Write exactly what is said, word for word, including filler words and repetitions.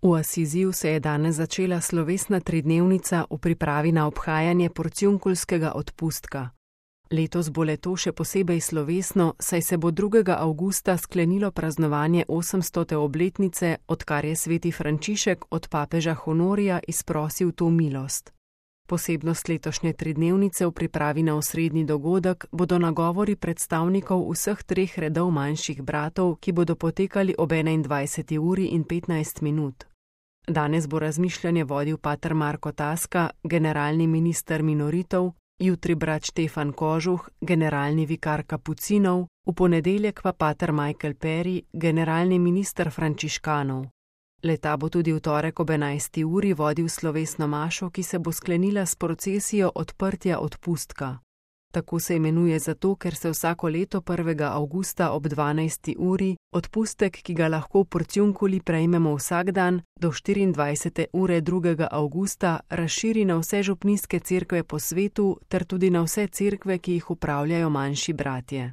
V Asiziju se je danes začela slovesna tridnevnica v pripravi na obhajanje porciunkulskega odpustka. Letos bo leto še posebej slovesno, saj se bo drugega avgusta sklenilo praznovanje osemstote obletnice, odkar je sveti Frančišek od papeža Honorija izprosil to milost. Posebnost letošnje tridnevnice v pripravi na osrednji dogodek bodo nagovori predstavnikov vseh treh redov manjših bratov, ki bodo potekali ob enaindvajseti uri in petnajst minut. Danes bo razmišljanje vodil pater Marko Taska, generalni minister minoritov, jutri brat Štefan Kožuh, generalni vikar kapucinov, v ponedeljek pa pater Michael Perry, generalni minister frančiškanov. Leta bo tudi v torek ob enajsti uri vodil slovesno mašo, ki se bo sklenila s procesijo odprtja odpustka. Tako se imenuje zato, ker se vsako leto prvega avgusta ob dvanajsti uri odpustek, ki ga lahko v Porciunculi prejmemo vsak dan, do štiriindvajsete ure drugega avgusta razširi na vse župnijske cerkve po svetu ter tudi na vse cerkve, ki jih upravljajo manjši bratje.